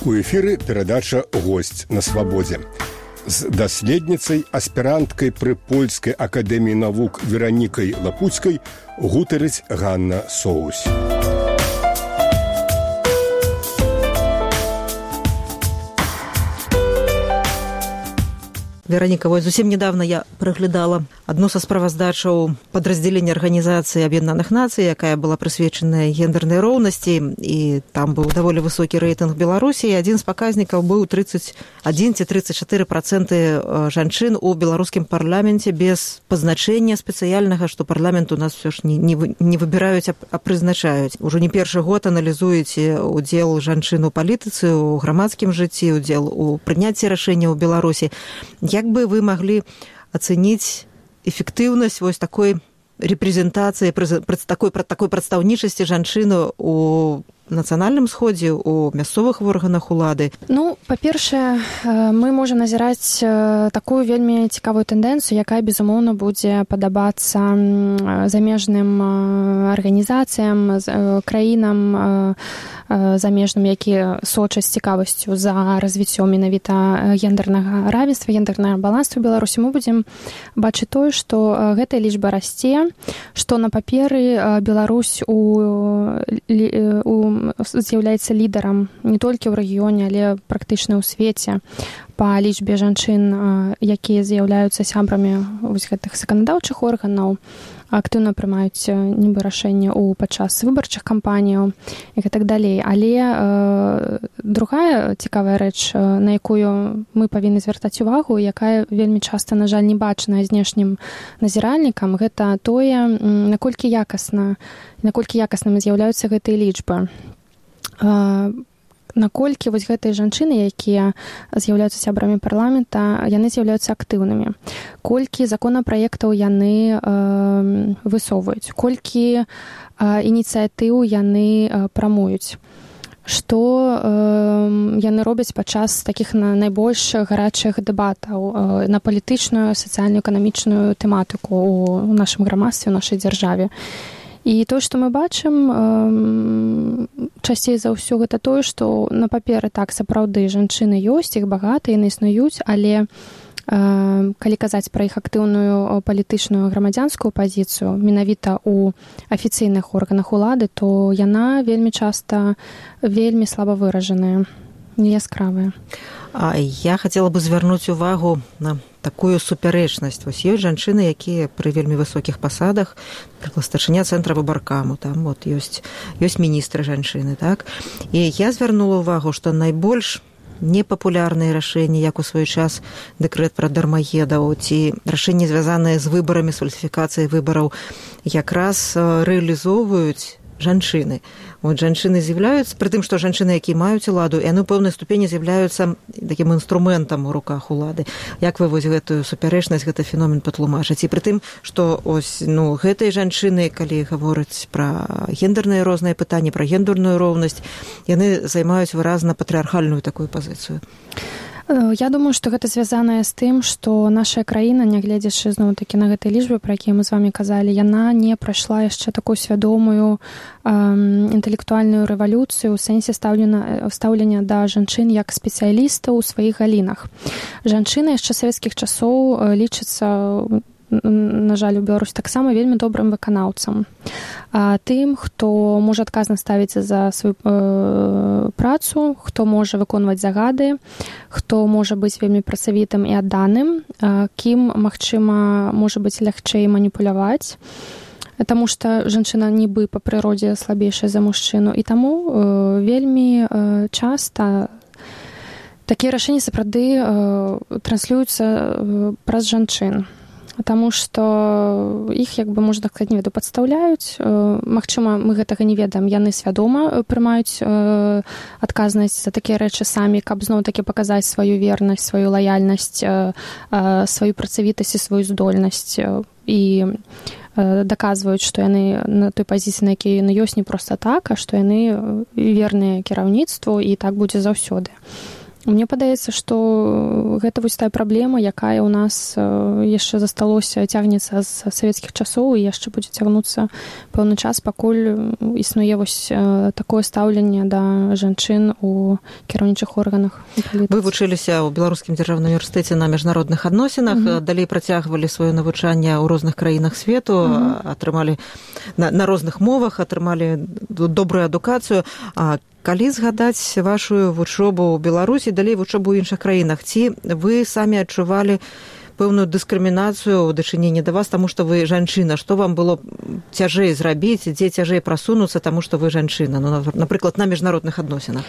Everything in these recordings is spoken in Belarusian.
У эфіры перадача «Госць на свабодзе». З даследніцай, аспіранткай пры Польскай акадэміі навук Веранікай Лапуцкай гутарыць Ганна Соусь. Вероніка, вось зусім недавно я праглядала адну са справаздачаў падраздзялення Арганізацыі Аб'яднаных Нацый, якая была прысвечаная гендернай роўнасці, і там быў даволі высокі рэйтынг Беларусі, і адзін з паказнікаў быў 31 ці 34% жанчын у беларускім парламенце без пазначэння спецыяльнага, што парламент у нас все ж не выбіраюць, а прызначаюць. Ужо не першы год аналізуеце удзел жанчын у палітыцы, у грамадскім жыцці, удзел у прыняцці рашэнняў у Беларусі. Як бы вы маглі ацэніць эфектыўнасць вось такой рэпрэзентацыі, такой прадстаўнічасці жанчыны у нацыянальным сходзе, у мясцовых органах улады? Ну, па-першае, мы можам назіраць такую вельмі цікавую тэндэнцыю, якая, безумоўна, будзе падабацца замежным арганізацыям, краінам замежным, якія сочаць з цікавасцю за развіццём менавіта гендернага равенства, гендернага балансу ў Беларусі. Мы будзем бачыць тое, што гэтая лічба расце, што на паперы Беларусь з'яўляецца лідарам не толькі ў рэгіёне, але практычна ў свеце па лічбе жанчын, якія з'яўляюцца сябрамі вось гэтых заканадаўчых органаў, актыўна прымаюць нібы рашэнне падчас выбарчых кампаніяў і так далей. Але другая цікавая рэч, на якую мы павінны звяртаць увагу, якая вельмі часта, на жаль, не бачная знешнім назіральнікам, гэта тое, наколькі якаснымі з'яўляюцца гэтыя лічбы. Наколькі вось гэтыя жанчыны, якія з'яўляюцца сябрамі парламента, яны з'яўляюцца актыўнымі. Колькі законапраектаў яны высоўваюць, колькі ініцыятыў яны прамуюць, што яны робяць падчас такіх найбольш гарачых дэбатаў на палітычную, сацыяльную, эканамічную тэматыку ў нашым грамадстве, у нашай дзяржаве. І тое, што мы бачым часцей за ўсё, гэта тое, што на паперы так сапраўды жанчыны ёсць, іх багата, яны існуюць, але калі казаць пра іх актыўную палітычную грамадзянскую пазіцыю, менавіта ў афіцыйных органах улады, то яна вельмі часта вельмі слаба выражаная, неяскравая. А я хацела бы звярнуць увагу на такую супярэчнасць. Вось ёсць жанчыны, якія пры вельмі высокіх пасадах, напрыклад, старшыня цэнтра выбаркаму, там вот ёсць міністры жанчыны, так? І я звярнула ўвагу, што найбольш непапулярныя рашэнні, як у свой час дэкрэт пра дармаедаў, ці рашэнні, звязаныя з выбарамі, з фальсіфікацыяй выбараў, якраз рэалізоўваюць жанчыны. Вот жанчыны з'яўляюцца, пры тым, што жанчыны, якія маюць уладу, яны ў пэўнай ступені з'яўляюцца такім інструментам у руках улады. Як вы вось гэтую супярэчнасць, гэты феномен патлумачыць? І пры тым, што ось, гэтыя жанчыны, калі гавораць пра гендерныя розныя пытанні, пра гендерную роўнасць, яны займаюць выразна патрыархальную такую пазіцыю. Я думаю, што гэта звязанае з тым, што наша краіна, нягледзячы зноў-такі на гэтай лічбе, пра якія мы з вамі казалі, яна не прайшла яшчэ такую свядомую інтэлектуальную рэвалюцыю ў сэнсе стаўлення да жанчын як спецыялістаў у сваіх галінах. Жанчыны яшчэ савецкіх часоў лічацца, на жаль, у Беларусі таксама вельмі добрым выканаўцам. Тым, хто можа адказна ставіцца за сваю працу, хто можа выконваць загады, хто можа быць вельмі працавітым і адданым, кім, магчыма, можа быць лягчэй маніпуляваць, таму што жанчына нібы па прыродзе слабейшая за мужчыну. І таму вельмі часта такія рашэнні сапраўды транслююцца праз жанчын. Таму што іх, як бы, можна сказаць, не веду, падстаўляюць. Магчыма, мы гэтага не ведаем. Яны свядома прымаюць адказнасць за такія рэчы самі, каб зноў-такі паказаць сваю вернасць, сваю лаяльнасць, сваю працавітасць і сваю здольнасць. І даказваюць, што яны на той пазіцыі, на якій яны ёсць, не проста так, а што яны верныя кіраўніцтву, і так будзе заўсёды. Мне падаецца, што гэта вось тая праблема, якая ў нас яшчэ засталося, цягнецца з савецкіх часоў і яшчэ будзе цягнуцца пэўны час, пакуль існуе вось такое стаўленне да жанчын у кіраўнічых органах. Вы вучыліся ў Беларускім дзяржаўным універсітэце на міжнародных адносінах, далей працягвалі сваё навучанне ў розных краінах свету, атрымалі на розных мовах, атрымалі добрую адукацыю. Калі згадаць вашу вучобу ў Беларусі, далей вучобу ў іншых краінах, ці вы самі адчувалі пэўную дыскрымінацыю ў дачыненні да вас, таму што вы жанчына? Што вам было цяжэй зрабіць, дзе цяжэй прасунуцца, таму што вы жанчына, ну, напрыклад, на міжнародных адносінах?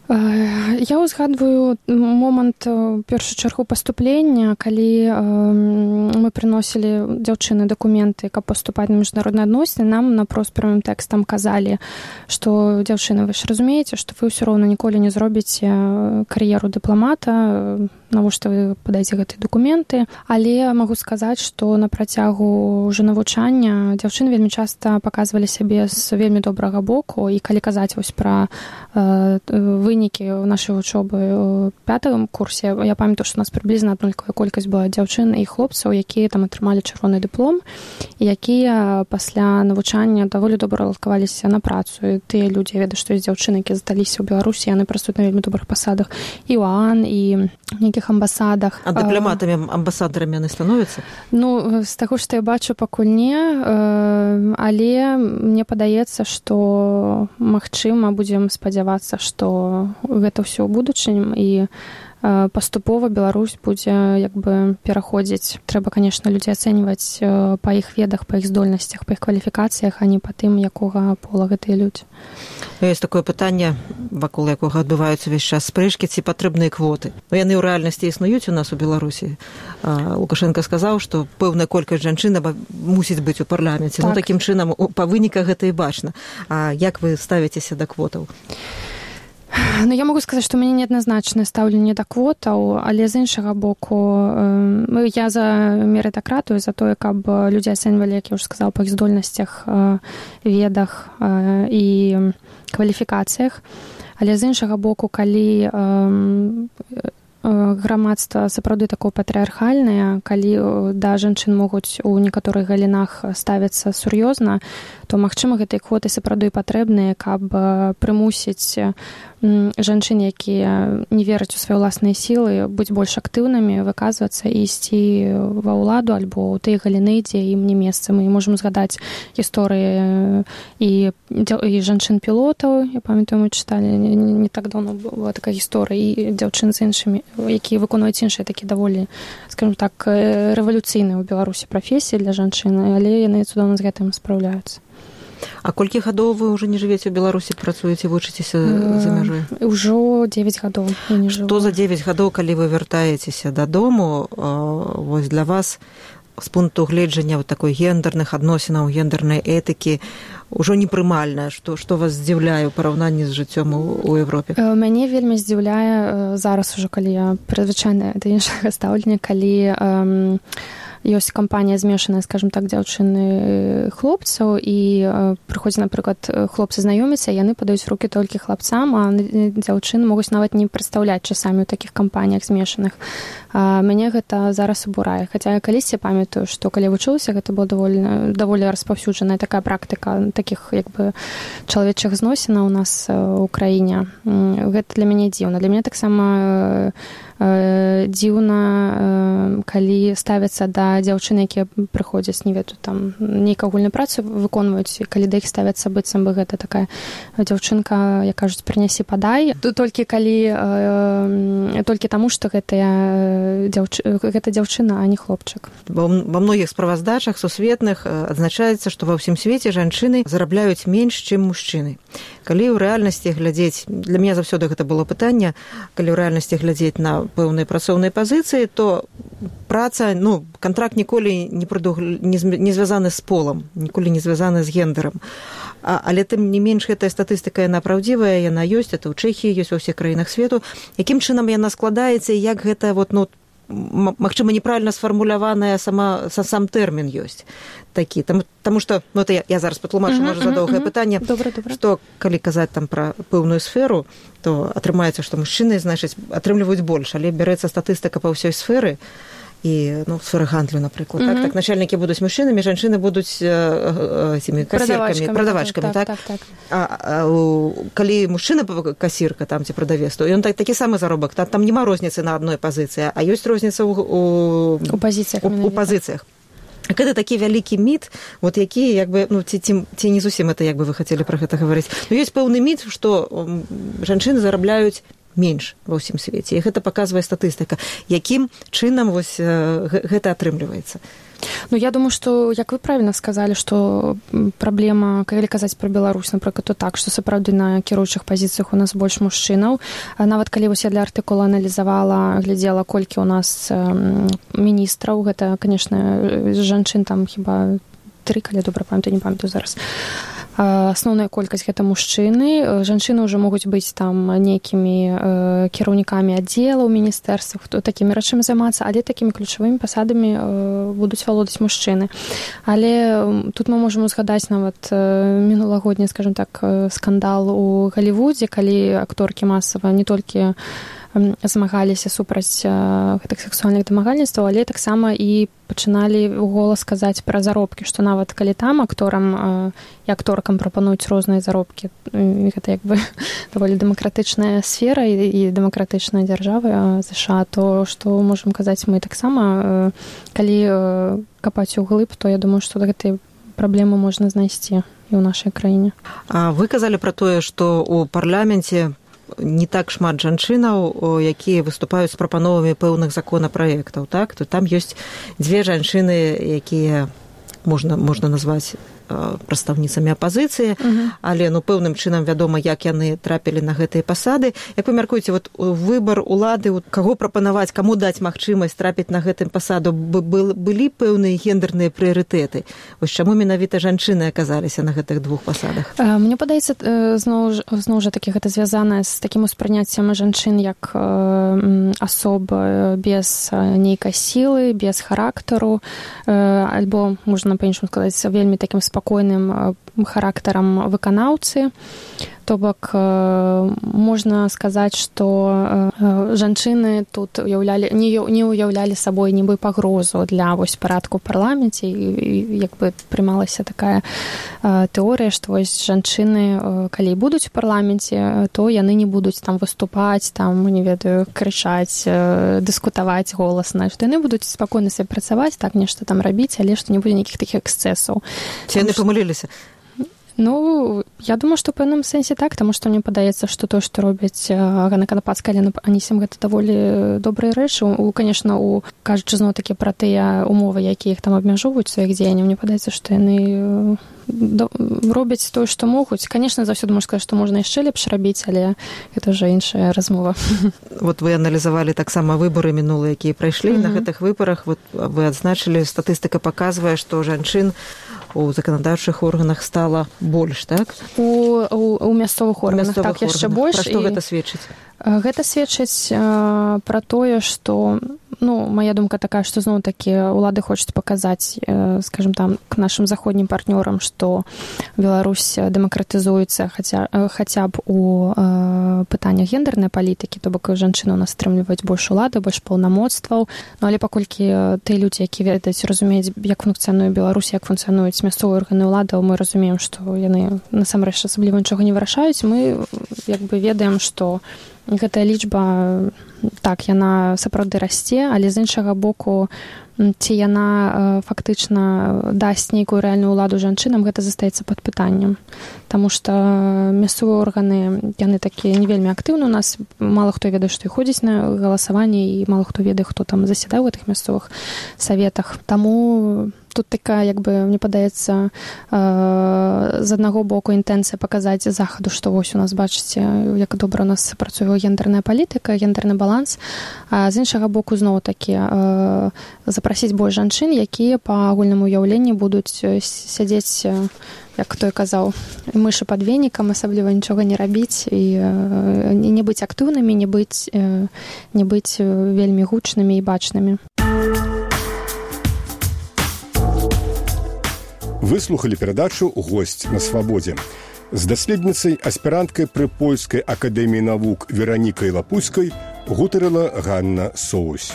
Я узгадваю момант у першую чаргу паступлення, калі мы прыносілі дзяўчыны дакументы, каб паступаць на міжнародныя адносіны, нам напрост прямым тэкстам казалі, што дзяўчыны, вы ж разумееце, што вы ўсё роўна ніколі не зробіце кар'еру дыпламата, навошта вы падаеце гэтыя дакументы. Але магу сказаць, што на працягу ўжо навучання дзяўчыны вельмі часта паказвалі сябе з вельмі добрага боку, і калі казаць вось пра вынікі нашай вучобы ў 5-м курсе, я памятаю, што у нас прыблізна аднолькавая колькасць была дзяўчын і хлопцаў, якія там атрымалі чырвоны дыплом, і якія пасля навучання даволі добра ладкаваліся на працу. І тыя людзі, я ведаю, што ёсць дзяўчыны, якія засталіся ў Беларусі, яны працуюць на вельмі добрых пасадах і ў ААН, і нейкіх амбасадах. А дыпламатамі, амбасадарамі яны становяцца? Ну, з таго, што я бачу, пакуль не, але мне падаецца, што магчыма, будзем спадзявацца, што гэта ўсё ў будучынім, і паступова Беларусь будзе як бы пераходзіць. Трэба, конечно, людзей ацэньваць па іх ведах, па іх здольнасцях, па іх кваліфікацыях, а не па тым, якога пола гэтыя людзі. Ёсць такое пытанне, вакол якога адбываюцца ўвесь час спрэчкі, ці патрэбныя квоты. Но яны ў рэальнасці існуюць у нас у Беларусі. Лукашенко сказаў, што пэўная колькасць жанчын мусіць быць у парламенце. Так. Ну, такім чынам, па выніках гэта і бачна. А як вы ставіцеся да квотаў? Ну, я могу сказаць, што ў мяне неадназначнае стаўленне да квотаў, але з іншага боку, я за мерытакратыю, за тое, каб людзі ацэньвалі, як я ўжо сказала, па іх здольнасцях, ведах і кваліфікацыях. Але з іншага боку, калі грамадства сапраўды такое патрыархальнае, калі да жанчын могуць у некаторых галінах ставіцца сур'ёзна, то, магчыма, гэтыя квоты сапраўды патрэбныя, каб прымусіць жанчын, якія не вераць у свае ўласныя сілы, быць больш актыўнымі, выказвацца і ісці ва ўладу альбо ў тыя галіны, дзе ім не месца. Мы можам згадаць гісторыі і жанчын-пілотаў. Я памятаю, мы чыталі не так даўно была такая гісторыя, і дзяўчын з іншымі, якія выконваюць іншыя такі даволі, скажем так, рэвалюцыйныя ў Беларусі прафесіі для жанчын, але яны цудоўна з гэтым спраўляюцца. А колькі гадоў вы ўжо не жывеце ў Беларусі, працуеце, вучыцеся за мяжой? Ужо 9 гадоў. Што за 9 гадоў, калі вы вяртаецеся дадому, вось для вас з пункту гледжання такой гендерных адносінаў, гендернай этыкі ўжо непрымальна, што вас здзіўляе ў параўнанні з жыццём у Европе? Мяне вельмі здзіўляе зараз ужо, калі я прызвычайная да іншага стаўлення, калі ёсць кампанія змешаная, скажем так, дзяўчыны хлопцаў, і прыходзіць, напрыклад, хлопцы знаёміцца, яны падаюць рукі толькі хлапцам, а дзяўчыны могуць нават не прадстаўляць часамі ў такіх кампаніях змешаных. Мяне гэта зараз абурае. Хаця я калісьці памятаю, што калі вучылася, гэта была даволі распаўсюджаная такая практыка такіх як бы чалавечых зносінаў у нас у краіне. Гэта для мяне дзіўна. Для мяне таксама дзіўна, калі ставяцца да дзяўчыны, якія прыходзяць, не ведаю, там нейкую агульную працу выконваюць, калі да іх ставяцца быццам бы гэта такая дзяўчынка, як кажуць, прынясі падай, толькі таму, што гэта дзяўчына, а не хлопчык. Ва многіх справаздачах сусветных адзначаецца, што ва ўсім свеце жанчыны зарабляюць менш, чым мужчыны. Калі ў рэальнасці глядзець, для мяне заўсёды гэта было пытанне, калі ў рэальнасці глядзець на пэўныя працоўныя пазіцыі, то праца, кантракт ніколі не звязаны з полам, ніколі не звязаны з гендерам. Але тым не менш гэтая статыстыка, яна праўдзівая, яна ёсць, это ў Чэхіі, ёсць ва ўсіх краінах свету. Якім чынам яна складаецца і як гэта магчыма, неправільна сфармуляваная сам тэрмін ёсць такі. Таму што, ну, это я зараз патлумачу, можа, за доўгае пытанне, што калі казаць там пра пэўную сферу, то атрымаецца, што мужчыны, значыць, атрымліваюць больш, але бярэцца статыстыка па ўсёй сферы, і, ну, сфера гандлю, напрыклад, так начальнікі будуць мужчынамі, жанчыны будуць цімі касіркамі, прадавачкамі, так? А калі мужчына касірка там ці прадавец, то ён такі самы заробак, там няма розніцы на адной пазіцыі, а ёсць розніца у пазіцыях. Гэта такі вялікі міт, вот які, як бы, ну, ці не зусім это, як бы вы хацелі пра гэта гаварыць. Ну, ёсць пэўны міт, што жанчыны зарабляюць менш ва ўсім свеце. І гэта паказвае статыстыка. Якім чынам вось гэта атрымліваецца? Ну, я думаю, што, як вы правільна сказалі, што праблема, калі казаць пра Беларусь, напрыклад, то так, што сапраўды на кіруючых пазіцыях у нас больш мужчынаў. Нават калі вось я для артыкула аналізавала, глядзела, колькі у нас міністраў, гэта, канешне, жанчын там хіба 3, калі добра памятаю, не памятаю зараз. Асноўная колькасць гэта мужчыны. Жанчыны ўжо могуць быць там нейкімі кіраўнікамі аддзелаў, міністэрствах, такімі рэчамі займацца, але такімі ключавымі пасадамі будуць валодаць мужчыны. Але тут мы можам узгадаць нават мінулагодні, скажем так, скандал у Галівудзе, калі акторкі масава не толькі змагаліся супраць гэтых сексуальных дамагальніцтваў, але таксама і пачыналі голас казаць пра заробкі, што нават калі там акторам і акторкам прапануюць розныя заробкі, гэта як бы даволі дэмакратычная сфера і дэмакратычная дзяржава ЗША, то што можам казаць мы таксама, калі капаць углыб, то я думаю, што гэтай праблемы можна знайсці і ў нашай краіне. А вы казалі пра тое, што ў парламенце не так шмат жанчынаў, якія выступаюць з прапановамі пэўных законапраектаў, так? То там ёсць 2 жанчыны, якія можна назваць прадстаўніцамі апазіцыі, але, ну, пэўным чынам вядома, як яны трапілі на гэтыя пасады. Як вы мяркуеце, вот выбар улады, каго прапанаваць, каму даць магчымасць трапіць на гэтым пасаду, былі пэўныя гендерныя прыярытэты? Вось чаму менавіта жанчыны аказаліся на гэтых 2 пасадах? Мне падаецца, зноў жа такі гэта звязана з такім успрыняццем жанчын як асоб без нейкай сілы, без характару, альбо, можна па-іншаму сказаць, вельмі такім спакойным характарам выканаўцы. То бок можна сказаць, што жанчыны тут не ўяўлялі сабой нібы пагрозу для вось парадку ў парламенце, і як бы прымалася такая тэорыя, што вось жанчыны, калі будуць у парламенце, то яны не будуць там выступаць, там, не ведаю, крычаць, дыскутаваць голасна, што яны будуць спакойна сабе працаваць, так нешта там рабіць, але што не будзе нейкіх такіх эксцэсаў. Ці яны памыліліся? Ну, я думаю, што ў пэўным сэнсе так, таму што мне падаецца, што то, што робяць Ганна Канапацкая, Алена Анісім, гэта даволі добрыя рэчы. Канешне, кажучы зноў-такі пра тыя ўмовы, якія іх там абмяжоўваюць сваіх дзеянняў, мне падаецца, што яны робяць тое, што могуць. Канешне, заўсёды можна сказаць, што можна яшчэ лепш рабіць, але гэта ўжо іншая размова. Вот вы аналізавалі таксама выбары мінулыя, якія прайшлі. На гэтых выбарах вот вы адзначылі, статыстыка паказвае, што жанчын у заканадаўчых органах стала больш, так? У мясцовых органах, так, яшчэ больш. Пра што гэта сведчыць? Гэта сведчыць пра тое, што, ну, моя думка такая, што зноў-такі улады хочуць паказаць, скажем там, к нашым заходнім партнёрам, што Беларусь дэмакратызуецца хаця б у пытаннях гендернай палітыкі, то бок жанчыны у нас атрымліваюць больш улады, больш паўнамоцтваў. Ну, але паколькі тыя людзі, які ведаюць, разумеюць, як функцыянуе Беларусь, як функцыянуюць мясцовыя органы ўладаў, мы разумеем, што яны насамрэч асабліва нічога не вырашаюць. Мы як бы ведаем, што гэтая лічба, так, яна сапраўды расце, але з іншага боку, ці яна фактычна дасць нейкую рэальную ўладу жанчынам, гэта застаецца пад пытаннем. Таму што мясцовыя органы, яны такія не вельмі актыўны у нас, мала хто ведае, што і ходзіць на галасаванне, і мала хто ведае, хто там засядае ў гэтых мясцовых саветах. Таму тут такая, як бы, мне падаецца, з аднаго боку інтэнцыя паказаць захаду, што вось у нас, бачыце, як добра у нас працуе гендерная палітыка, гендерны баланс, а з іншага боку зноў-такі запрасіць больш жанчын, якія па агульнаму ўяўленні будуць сядзець, як той казаў, мышы пад венікам, асабліва нічога не рабіць і не быць актыўнымі, не быць вельмі гучнымі і бачнымі. Выслухалі перадачу «Госць на свабодзе». З даследніцай, аспіранткай пры Польскай акадэміі навук Веранікай Лапуцкай гутарыла Ганна Соусь.